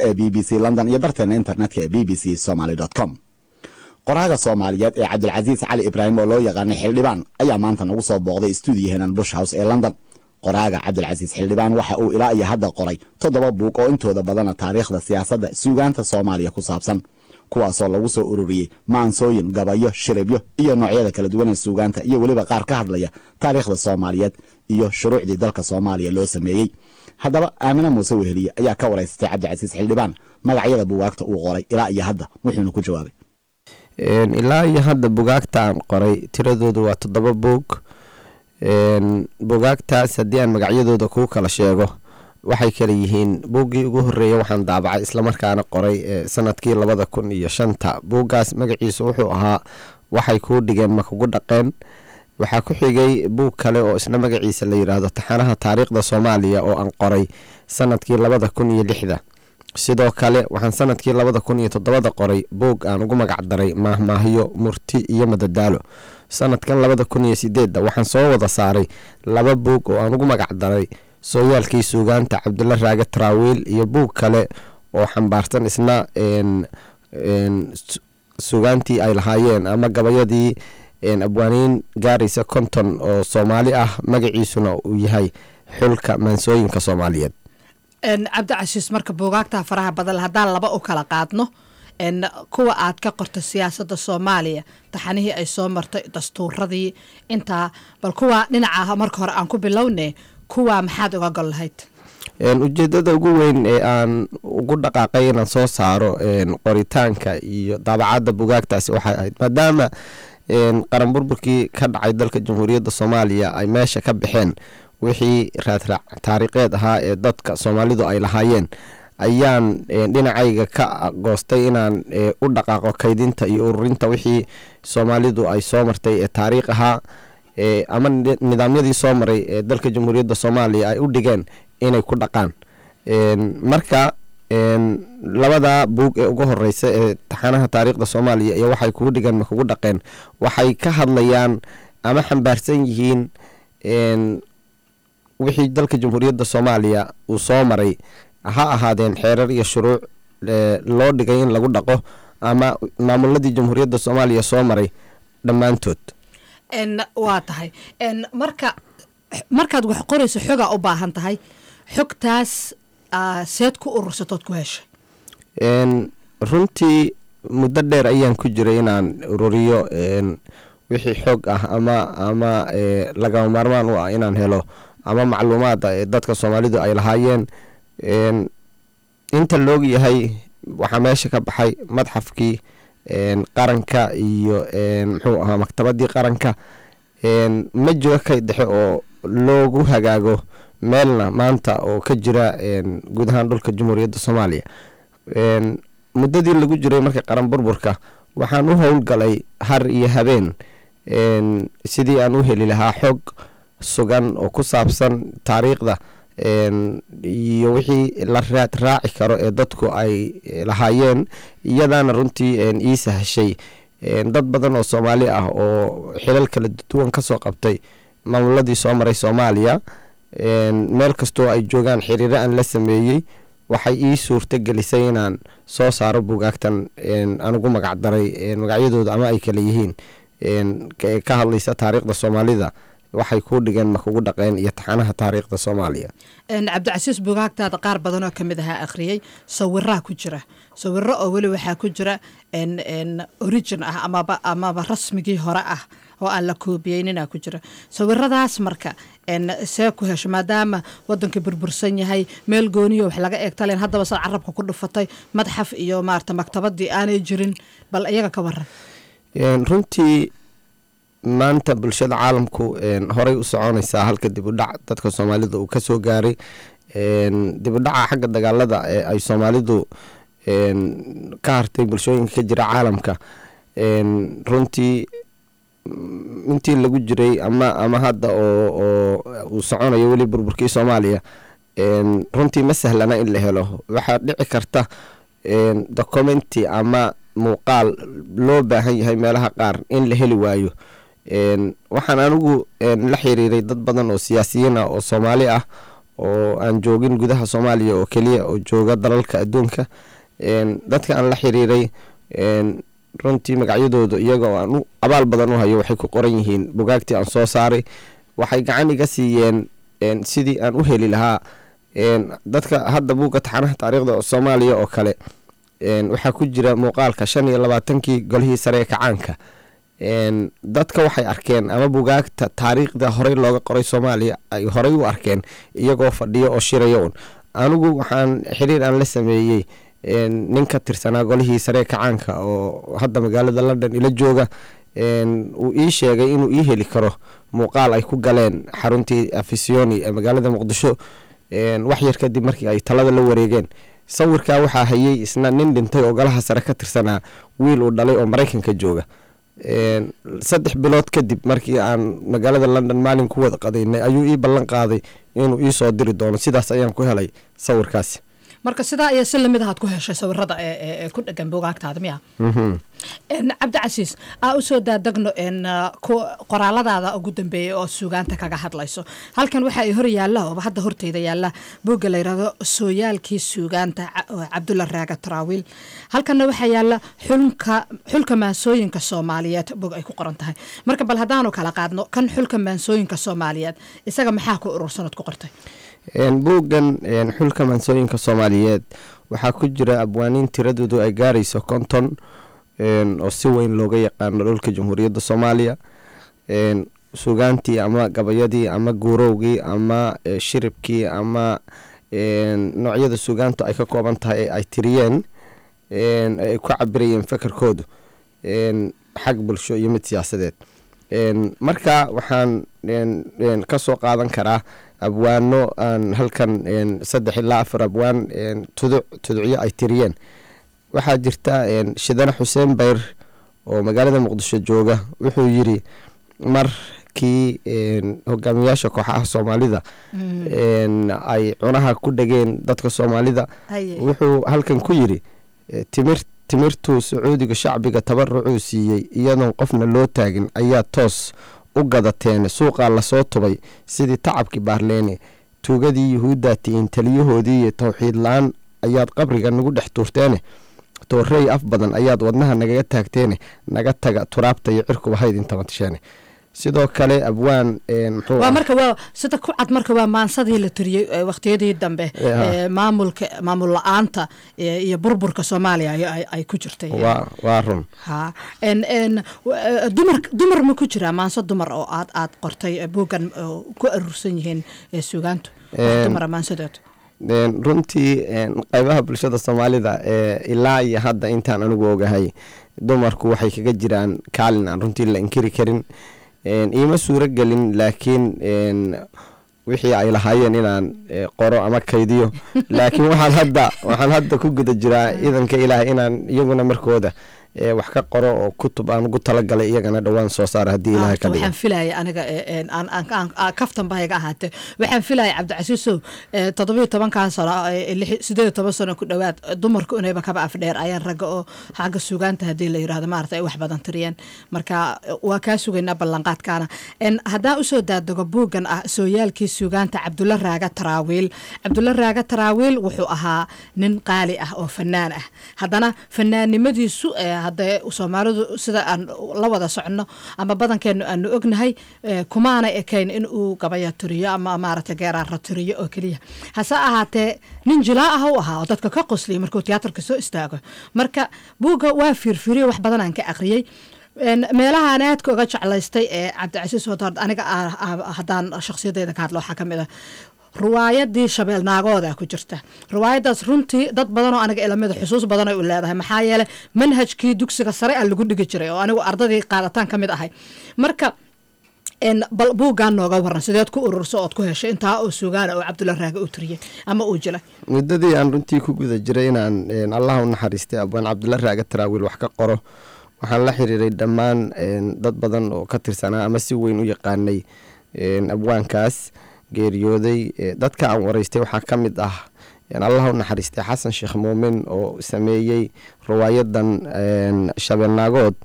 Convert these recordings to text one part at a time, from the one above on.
Ee BBC London iyo barteena internetka ee bbcsomaly.com. Qoraaga Soomaaliyeed ee Cabdilcasiis Cali Ibraahim oo loo yaqaanay Xildhibaan ayaa maanta nagu soo booqday stuudiyahenan Bush House ee London. Qoraaga Cabdilcasiis Xildhibaan waxa uu ilaa iyo hadda qoray toddoba buug oo intooda badana taariikhda, siyaasadda, suugaanta Soomaaliya ku saabsan, kuwaasoo lagu soo ururiyey maansooyin, gabayo, shiribyo iyo noocyada kala duwan ee suugaanta, iyo weliba qaar ka hadlaya taariikhda Soomaaliyeed iyo shuruucdii dalka Soomaaliya loo sameeyey. Haddaba Aamine Muuse Weheliye ayaa ka waraysatay Cabdicasiis Xildhibaan magacyada buugaagta uu qoray ilaa iyo hadda, wuxuuna ku jawaabay: Ilaa iyo hadda bugaagta aan qoray tiradoodu waa toddoba buug. Bugaagtaas haddii aan magacyadooda kuu kala sheego, waxay kala yihiin: buuggii ugu horreeya waxaan daabacay islamarkaana qoray sanadkii 2005. Buuggaas magaciisu wuxuu ahaa "Waxay kuu dhigeen ma kugu dhaqeen?" Waxaa ku xigay buug kale oo isna magaciisa la yidhaahdo "Taxanaha Taariikhda Soomaaliya" oo aan qoray sanadkii 2006. Sidoo kale waxaan sanadkii 2007 qoray buug aan ugu magac daray "Maahmaahyo, Murti iyo Madadaalo". Sanadkan 2008 waxaan soo wada saaray laba buug oo aan ugu magac daray "Sooyaalkii Suugaanta Cabdulla Raage Taraawiil" iyo buug kale oo xambaarsan isna suugaantii ay lahaayeen ama gabayadii abwaaniin gaaraysa 50 oo Soomaali ah, magaciisuna uu yahay "Xulka Maansooyinka Soomaaliyeed". Cabdicasiis, marka buugaagtaa faraha badan haddaan laba u kala qaadno, kuwa aad ka qorta siyaasadda Soomaaliya, taxanihii ay soo martay, dastuuradii intaa, bal kuwa dhinaca marka hore aan ku bilowne, kuwa maxaad uga gol lahayd? Ujeedada ugu weyn ee aan ugu dhaqaaqay inaan soo saaro qoritaanka iyo daabacadda bugaagtaasi waxay ahayd maadaama qaran burburkii ka dhacay dalka Jamhuuriyadda Soomaaliya ay meesha ka baxeen wixii raadraac taariikheed ahaa ee dadka Soomaalidu ay lahaayeen, ayaan dhinacayga ka goostay inaan u dhaqaaqo kaydinta iyo ururinta wixii Soomaalidu ay soo martay ee taariikh ahaa ama nidaamyadii soo maray ee dalka Jamhuuriyadda Soomaaliya ay u dhigeen inay ku dhaqaan. Marka labada buug ee ugu horeysa ee "Taxanaha Taariikhda Soomaaliya" iyo "Waxay kugu dhigeen ma kugu dhaqeen" waxay ka hadlayaan ama xambaarsan yihiin wixii dalka Jamhuuriyadda Soomaaliya uu soo maray, ha ahaadeen xeerar iyo shuruuc loo dhigay in lagu dhaqo ama maamuladii Jamhuuriyadda Soomaaliya soo maray dhammaantood. Waa tahay. Marka markaad wax qorayso xogaa u baahan tahay, xogtaas seed ku urursatood ku heshay? Runtii muddo dheer ayaan ku jiray inaan ururiyo wixii xog ah ama lagama maarmaan u ah inaan helo ama macluumaada ee dadka Soomaalidu ay lahaayeen. Inta loog yahay waxaa meesha ka baxay madxafkii qaranka iyo muxuu ahaa maktabadii qaranka. Ma jiro kayd dhexe oo loogu hagaago meelna maanta oo ka jira guud ahaan dhulka Jamhuuriyadda Soomaaliya. Muddadii lagu jiray marka qaran burburka waxaan u howlgalay har iyo habeen sidii aan u heli lahaa xog sugan oo ku saabsan taariikhda iyo wixii la raad raaci karo ee dadku ay lahaayeen. Iyadaana runtii ii sahashay dad badan oo Soomaali ah oo xilal kala duwan kasoo qabtay maamuladii soo maray Soomaaliya, meel kastoo ay joogaan xiriiro aan la sameeyey, waxay ii suurto gelisay inaan soo saaro buugaagtan aan ugu magac daray magacyadooda ama ay kala yihiin ka hadlaysa taariikhda Soomaalida, "Waxay kuu dhigeen ma kugu dhaqeen" iyo "Taxanaha Taariikhda Soomaaliya". Cabdicasiis, bugaagtaada qaar badan oo kamid ahaa akhriyey, sawiraa ku jira, sawiro oo weli waxaa ku jira origin ah amaba rasmigii hore ah oo aan la koobiyeyninaa ku jira. Sawiradaas marka see ku hesho, maadaama wadankii burbursan yahay, meel gooniyo wax laga eegtaleen, haddaba sad carabka ku dhufatay madxaf iyo maarata maktabadii aanay jirin? Bal iyaga ka waran. Runtii maanta bulshada caalamku horey u soconaysaa, halka dib u dhac dadka Soomaalida uu kasoo gaaray. Dib u dhaca xagga dagaalada ee ay Soomaalidu ka hartay bulshooyinka ka jira caalamka, runtii intii lagu jiray ama hadda oo uu soconayo weli burburkii Soomaaliya, runtii ma sahlana in la helo. Waxaa dhici karta documenti ama muuqaal loo baahan yahay meelaha qaar in la heli waayo. Waxaan anigu la xiriiray dad badan oo siyaasiyiin ah oo Soomaali ah. Oo aan joogin gudaha Soomaaliya oo keliya, oo jooga dalalka adduunka. Dadka aan la xiriiray runtii magacyadooda, iyaga oo aan u abaal badan u hayo, waxay ku qoran yihiin bugaagtii aan soo saaray. Waxay gacan iga siiyeen sidii aan u heli lahaa dadka. Hadda buugga Taxanaha Taariikhda Soomaaliya oo kale waxaa ku jira muuqaalka 25-kii Golihii Sare ee Kacaanka. Dadka waxay arkeen ama bugaagta taariikhda horey looga qoray Soomaaliya ay horey u arkeen iyagoo fadhiyo oo shiraya un. Anigu waxaan xiriir aan la sameeyey nin ka tirsanaa Golihii Sare ee Kacaanka oo hadda magaalada London ila jooga. Uu ii sheegay inuu ii heli karo muuqaal ay ku galeen xaruntii Afisyooni ee magaalada Muqdisho wax yar kadib markii ay talada la wareegeen. Sawirkaa waxaa hayay isna nin dhintay oo Golaha Sare ka tirsanaa, wiil uu dhalay oo Maraykanka jooga. 3 bilood kadib markii aan magaalada London maalin ku wada qadaynay ayuu ii ballan qaaday inuu ii soo diri doono. Sidaas ayaan ku helay sawirkaasi. Marka sidaa iyo si lamid ahaad ku heshay sawirada ee ku dhegan buugaagtaada, miya? Cabdicasiis, aa usoo daadegno qoraaladaada ugu dambeeyay oo suugaanta kaga hadlayso. Halkan waxa ay hor yaalla ooba hadda horteyda yaalla buugga la yidhahdo Sooyaalkii Suugaanta Cabdulla Raaga Taraawiil. Halkanna waxaa yaalla Xulka Maansooyinka Soomaaliyeed, bog ay ku qoran tahay. Marka bal haddaanu kala qaadno kan Xulka Maansooyinka Soomaaliyeed, isaga maxaa ku urursanood ku qortay? Buuggan Xulka Maansooyinka Soomaaliyeed waxaa ku jira abwaaniin tiradoodu ay gaarayso 50 oo si weyn looga yaqaano dhulka Jamhuuriyadda Soomaaliya. Sugaantii ama gabayadii ama guurowgii ama shiribkii ama noocyada sugaantu ay ka kooban tahay ee ay tiriyeen, ay ku cabirayeen fekerkoodu xag bulsho iyo mid siyaasadeed. Marka waxaan ka soo qaadan karaa abwaano aan halkan saddex ilaa afar abwaan tuduc tuducyo ay tiriyeen. Waxaa jirta Shidane Xuseen Bayr oo magaalada Muqdisho jooga. Wuxuu yiri markii hogaamiyaasha kooxaha Soomaalida ay cunaha ku dhegeen dadka Soomaalida, wuxuu halkan ku yiri: "Timir timirtuu Sacuudiga shacbiga tabarucuu siiyey, iyadoon qofna loo taagin ayaa toos u gadateen. Suuqaa lasoo tubay sidii tacabkii Baarleene. Tuugadii Yuhuuddaa tihiin taliyahoodii iyo towxiid la-aan ayaad qabriga nagu dhex tuurteene. Toorey af badan ayaad wadnaha nagaga taagteene. Naga taga, turaabta iyo cirkuba haydin tabatasheene." Sidoo kale abwaan muxuu Waa marka waa sida ku cad, marka waa maansadii la tiriyey waqtiyadii dambe, maamulka maamul la-aanta iyo burburka Soomaaliya ay ku jirtay. Waa run. Ha, n n dumar ma ku jiraa maanso dumar oo aad qortay buuggan ku aruursan yihiin suugaantu, dumara maansadood? Runtii qaybaha bulshada Soomaalida ilaa iyo hadda intaan anigu ogahay, dumarku waxay kaga jiraan kaalin aan runtii la inkiri karin. Iima suuro gelin laakiin wixii ay lahaayeen inaan qoro ama kaydiyo, laakiin waxaan hadda ku guda jiraa, idanka Ilaah, inaan iyaguna markooda wax ka qoro oo kutub aan ugu talagalay iyagana dhowaan soo saara, haddii Ilahay ka dhigo. Waxaan filaya aniga kaftan ba iga ahaatee, waxaan filaya, Cabdicasiisow, 17-kan sano, 18 sano ku dhowaad, dumarku inayba kaba afdheer ayaan ragga oo xagga sugaanta haddii la yirahdo maarata ay wax badan tiriyeen. Marka waa kaa sugaynaa ballanqaadkaana. Haddaan usoo daadego buuggan ah Sooyaalkii Suugaanta Cabdulla Raaga Taraawiil. Cabdulla Raaga Taraawiil wuxuu ahaa nin qaali ah oo fanaan ah. Haddana fanaannimadiisu, haddee Soomaalidu sida aan la wada soconno ama badankeenu aanu ognahay, kumaana ekayn in uu gabaya tiriyo ama maaragtay geeraara tiriyo oo keliya. Hase ahaatee nin jilaa ah u ahaa oo dadka ka qosliyay markuu tiyaatarka soo istaago. Marka buugga waa fiirfiiriyo, wax badan aan ka aqriyey. Meelaha aan aadka uga jeclaystay ee Cabdicasiis Wadaard, aniga haddaan shakhsiyadeyda ka hadlo, waxaa ka mid ah riwaayadii Shabeel Naagooda ku jirta. Riwaayadaas runtii dad badan oo aniga ilamida xusuus badan ay u leedahay, maxaa yeelay manhajkii dugsiga sare a lagu dhigi jiray oo anigu ardadii qaadataan ka mid ahay. Marka bal buuggan nooga waran, sideed ku ururso ood ku heshay intaa oo sugaana oo Cabdulla Raage uu tiriyey ama uu jilay? Muddadii aan runtii ku guda jiray inaan Allah u naxariistay abwaan Cabdulla Raage Taraawiil wax ka qoro, waxaan la xiriiray dhammaan dad badan oo ka tirsanaa ama si weyn u yaqaanay abwaankaas geeriyooday. Dadka aan waraystay waxaa ka mid ah, Allah u naxariistay, Xasan Sheekh Muumin oo sameeyey riwaayadan Shabeelnaagood.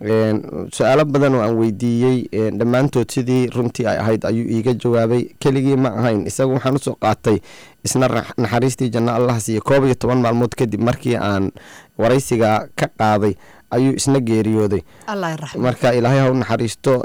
Su-aalo badan oo aan weydiiyey, dhammaantood sidii runtii ay ahayd ayuu iiga jawaabay. Keligii ma ahayn isagu, waxaan usoo qaatay isna naxariistii janno Allah siiye. 11 maalmood kadib markii aan waraysiga ka qaaday ayuu isna geeriyooday. Allah raxmo. Marka Ilaahay ha u naxariisto.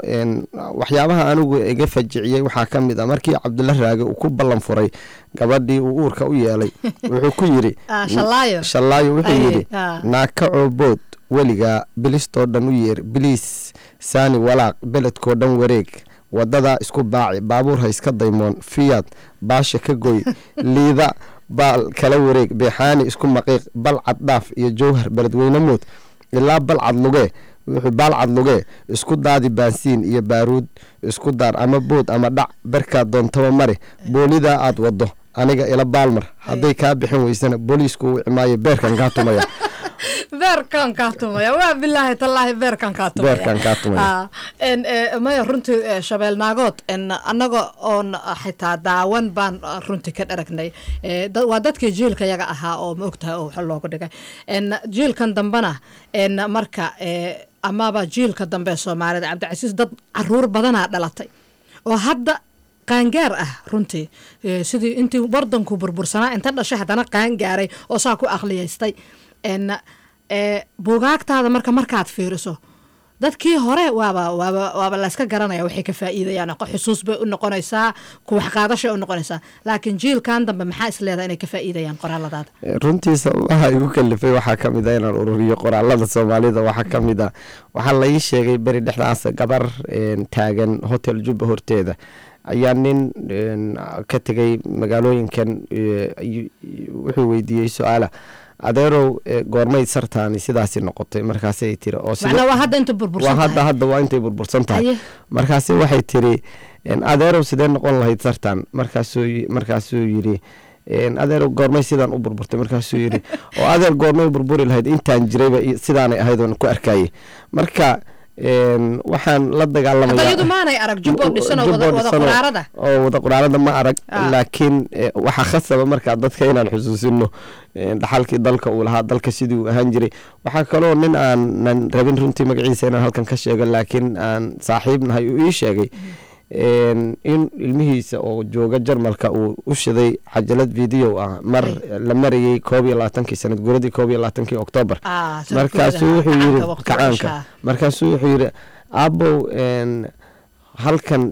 Waxyaabaha anigu iga fajiciyey waxaa ka mid ah markii Cabdulla Raage uu ku ballan furay gabadhii uu uurka u yeelay, wuxuu ku yidhi Shallaayo. Shallaayo wuxuu yidhi, "Naaka coobood weligaa bilistoo dhan u yeer, biliis saani walaaq, beledkoo dhan wareeg, wadadaa isku baaci, baabuur ha iska daymoon, fiyaad baasha ka goy, liida baal kala wareeg, beexaani isku maqiiq, balcad dhaaf iyo Jowhar, Beledweyne mood ilaa balcad lugee." Wuxuu baalcad lugee isku daadi, baansiin iyo baaruud isku daar, ama bood ama dhac, berkaa doontaba mari, boolidaa aad wado aniga ila baalmar, hadday kaa bixin weysana booliisku wici maayo, beerkan kaa tumaya. Beerkan kaa tumaya, waa bilaahi tallaahi, beerkan kaa tumaya. Beerkan kaa tumaya. Maya, runtii Shabeelnaagood annaga oon xitaa daawan baan runtii ka dharagnay. Waa dadkii jiilka yaga ahaa oo ma ogtahay oo wax loogu dhigay. Jiilkan dambena marka amaba jiilka dambe ee Soomaalida, Cabdicasiis, dad caruur badanaa dhalatay oo hadda qaangaar ah runtii, sidii intii wadanku burbursanaa inta dhashay haddana qaangaaray oo saa ku aqliyaystay. Buugaagtaada marka markaad fiiriso dadkii hore waaba layska garanaya waxay ka faa'iidayaan, xusuus bay u noqonaysaa, ku wax qaadashay u noqonaysaa, laakiin jiilkan dambe maxaa is leedahay inay ka faa'iidayaan qoraaladaada? Runtii sababaha igu kalifay waxaa ka mid ah inaan ururiyo qoraalada Soomaalida. Waxaa ka mid ah waxaa la ii sheegay beri dhexdaas gabar taagan Hotel Jubba horteeda ayaa nin ka tegay magaalooyinkan wuxuu weydiiyey su-aala: "Adeerow, goormay sartaani sidaasi noqotay?" Markaasay tiri oo Macnaa waa hadda inta waa burbursan hadda tahay. Hadda waa intay burbursan tahay. Markaasi waxay tiri, "Adeerow, sidee noqon lahayd sartan?" Markaasuu yidhi, "Adeerow, goormay sidaan u burburtay?" Markaasuu yidhi, "Oo adeer, goormay burburi lahayd? Intaan jirayba sidaanay ahayd oon ku arkayay." Marka waxaan la dagaalamaya Hadda iyadu maanay arag Jubbo dhisan oo wada Jubbo wada dhisan quraarada. Oo wada quraarada ma arag. Laakiin waxaa khasaba markaa dadka inaan xusuusino dhaxalkii dalka uu lahaa, dalka sidii uu ahaan jiray. Waxaa kaloo nin aanan rabin runtii magaciisa inaan halkan ka sheego, laakiin aan saaxiib nahay, uu ii sheegay in ilmihiisa oo jooga Jarmalka uu u shiday cajalad video ah mar la marayay 21-kii sanad guuradii 21-kii Oktoobar. Sanad Markaasuu guurada wuxuu yiri kacaanka waqtiga kacaanka dhashaa. Markaasuu wuxuu yiri, "Aabow, halkan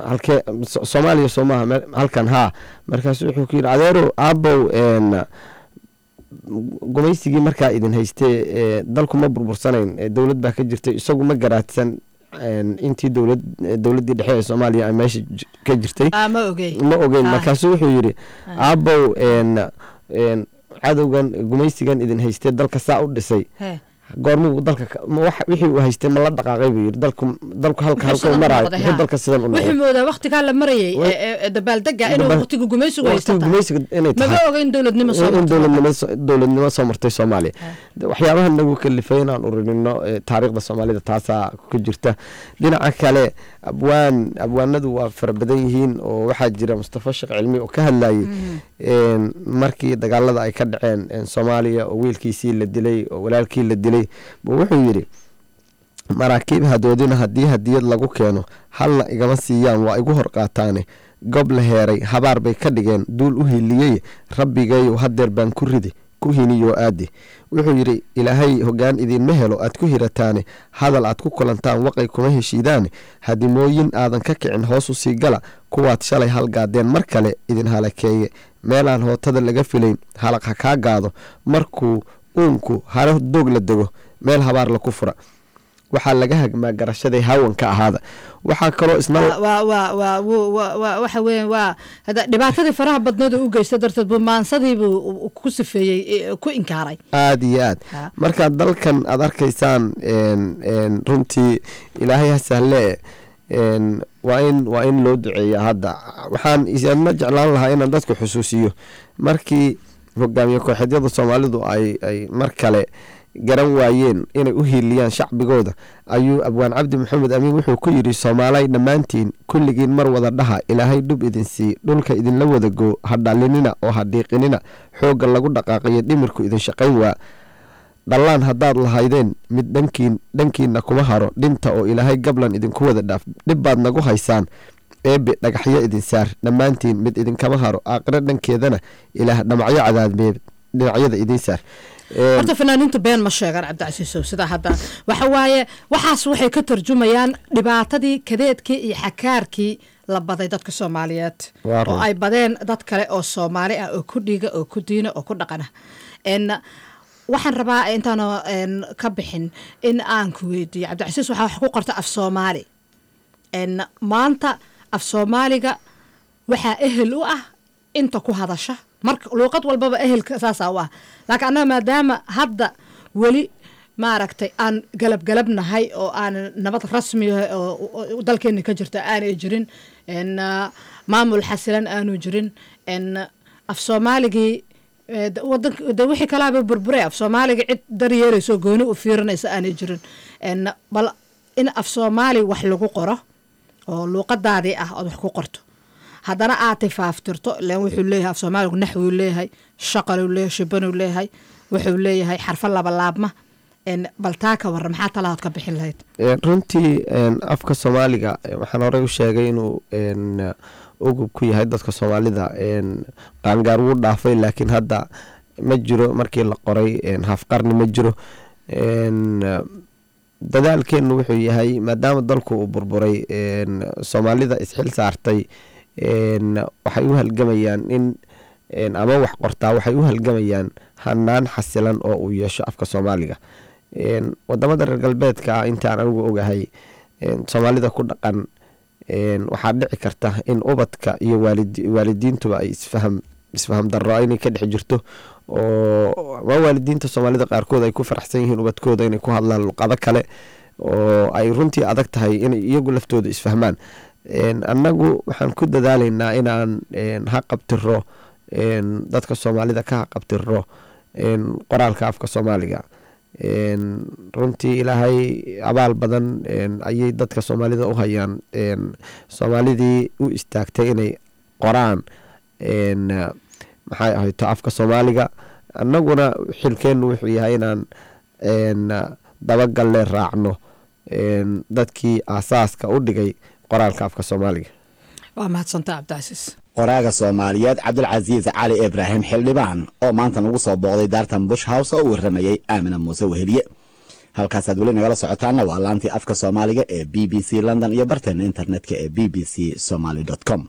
halkee Soomaaliya soo maaha halkan haa?" Markaasuu wuxuu ku yiri, "Adeerow, aabow, gumaysigii markaa idin haystee dalku ma burbursanayn, dowlad baa ka jirtay." Isagu ma garaadsan intii dowladdii dhexe ee Soomaaliya ay meesha ka jirtay. Ma ogey. Ma ogeyn. Markaasuu wuxuu yidhi, "Aabow, cadowgan gumaysigan idin haystee dalka saa u dhisay goormuu dalka wixii uu haystay ma la dhaqaaqay?" buu yidhi. Dalku halka Muxuu halka sidan u maraayo noqday, muxuu ha? dalka sidan u Wuxuu noqday? moodaa waqtigaa la marayay dabaaldega inuu waqtiga gumaysigu waqtiga haysta tahay. Gumaysiga inay Maba tahay. oga in dowladnimo soo in martay. dowladnimo soo martay Soomaaliya. Waxyaabaha nagu kalifay inaan ururino taariikhda Soomaalida taasaa ku jirta. Dhinaca kale, abwaanadu waa fara badan yihiin oo waxaa jira Mustafa Sheekh Cilmi oo ka hadlayay markii dagaalada ay ka dhaceen Soomaaliya oo wiilkiisii la dilay oo walaalkii la dilay buu wuxuu yidhi, "Maraakiib hadoodina haddii hadiyad lagu keeno, halna igama siiyaan, waa igu hor qaataane. Gob la heeray habaar bay ka dhigeen duul u hiliyey, Rabbigayow hadeer baan ku ridi ku hiniyoo aadi." Wuxuu yidhi, "Ilaahay hoggaan idinma helo aad ku hirataane, hadal aad ku kulantaan waqay kuma heshiidaane, hadimooyin aadan ka kicin hoos u sii gala, kuwaad shalay halgaadeen mar kale idin halakeeye, meelaan hootada laga filayn halaq ha kaa gaado, markuu uunku haro doog la dego, meel habaar laku fura, waxaa laga hagmaa garashaday hawanka ahaada." Waxaa kaloo isna waa waa waa wuu- waa waa waxa weeyaan waa hada dhibaatadii faraha badneed oo u geysta darteed buu maansadii buu ku sifeeyey, ku inkaaray. Aada iyo aad. Marka dalkan aad arkaysaan runtii Ilaahay ha sahle, waa in loo duceeya. Hadda waxaan isna jeclaan lahaa inaan dadku xusuusiyo markii hogaamiye kooxeedyada Soomaalidu ay mar kale garan waayeen inay u hiiliyaan shacbigooda ayuu abwaan Cabdi Maxamed Amiin wuxuu ku yidhi, "Soomaalay dhammaantiin kulligiin mar wada dhaha, Ilaahay dhub idin sii, dhulka idinla wada goo, ha dhalinina oo ha dhiiqinina, xoogga lagu dhaqaaqiyo dhimirku idin shaqayn waa." Dhallaan haddaad lahaydeen mid dhankiin dhankiinna kuma haro, dhinta oo Ilaahay gablan idinku wada dhaaf. Dhib baad nagu haysaan, Eebe dhagaxyo idin saar. Dhammaantiin mid idinkama haro, aaqiro dhankeedana Ilaah dhamacyo cadaadmeed dhinacyada idiin saar. Horta fanaaniintu been ma sheegaan, Cabdicasiisow. Sidaa hadda waxa waaye, waxaas waxay ka tarjumayaan dhibaatadii, kadeedkii iyo xakaarkii la baday dadka Soomaaliyeed Waa run. oo ay badeen dad kale oo Soomaali ah oo ku dhiiga oo ku diina oo ku dhaqana. Waxaan rabaa intaana ka bixin in aan ku weydiiyo, Cabdicasiis, waxaa wax ku qorta af Soomaali. Maanta af Soomaaliga waxaa ehel u ah inta ku hadasha. Marka luuqad walbaba ehelka saasaa u ah, laakiin annaga maadaama hadda weli maaragtay aan galabgalabnahay oo aan nabad rasmi ah oo dalkeena ka jirta aanay jirin, maamul xasilan aanu jirin, af Soomaaligii wadanka de wixii kalaaba burburay, af Soomaaliga cid daryeelayso gooni u fiirinaysa aanay jirin. Bal in af Soomaali wax lagu qoro oo luuqadaadii ah ood wax ku qorto, haddana aad tifaaftirto, ileen wuxuu leeyahay af Soomaaligu naxwuu leeyahay, shaqaluu leeyahay, shibanuu leeyahay, wuxuu leeyahay xarfo labalaabma. Bal taa ka warran, maxaa talahood ka bixin lahayd? Runtii afka Soomaaliga waxaan horey u sheegay inuu ugub ku yahay dadka Soomaalida. Qaangaar wuu dhaafay, laakiin hadda ma jiro markii la qoray haf qarni ma jiro. Dadaalkeenu wuxuu yahay, maadaama dalku uu burburay, Soomaalida isxil saartay waxay u halgamayaan in ama wax qortaa waxay u halgamayaan hanaan xasilan oo uu yeesho afka Soomaaliga. Wadamada reer galbeedka ah, intaan anigu ogahay, Soomaalida ku dhaqan, waxaa dhici karta in ubadka iyo waalidiintuba ay isfaham darro inay ka dhex jirto, oo ama waalidiinta Soomaalida qaarkood ay ku faraxsan yihiin ubadkooda inay ku hadlaan luqado kale, oo ay runtii adag tahay inay iyagu laftooda isfahmaan. Annagu waxaan ku dadaalaynaa inaan haqabtiro dadka Soomaalida, ka haqabtiro qoraalka afka Soomaaliga. Runtii Ilaahay abaal badan ayay dadka Soomaalida u hayaan, Soomaalidii u istaagtay inay qoraan maxay ahayto afka Soomaaliga. Annaguna xilkeennu wuxuu yahay inaan dabagalle raacno dadkii aasaaska u dhigay qoraalka afka Soomaaliga. Waa mahadsantaa, Cabdicasiis. Qoraaga Soomaaliyeed Cabdulcasiis Cali Ibraahim Xildhibaan oo maanta nagu soo booqday daartan Bush House oo u waramayey Aamina Muuse Weheliye. Halkaasaad weli nagala socotaana waa laantii afka Soomaaliga ee BBC London iyo barteena internetka ee bbcsomaly com.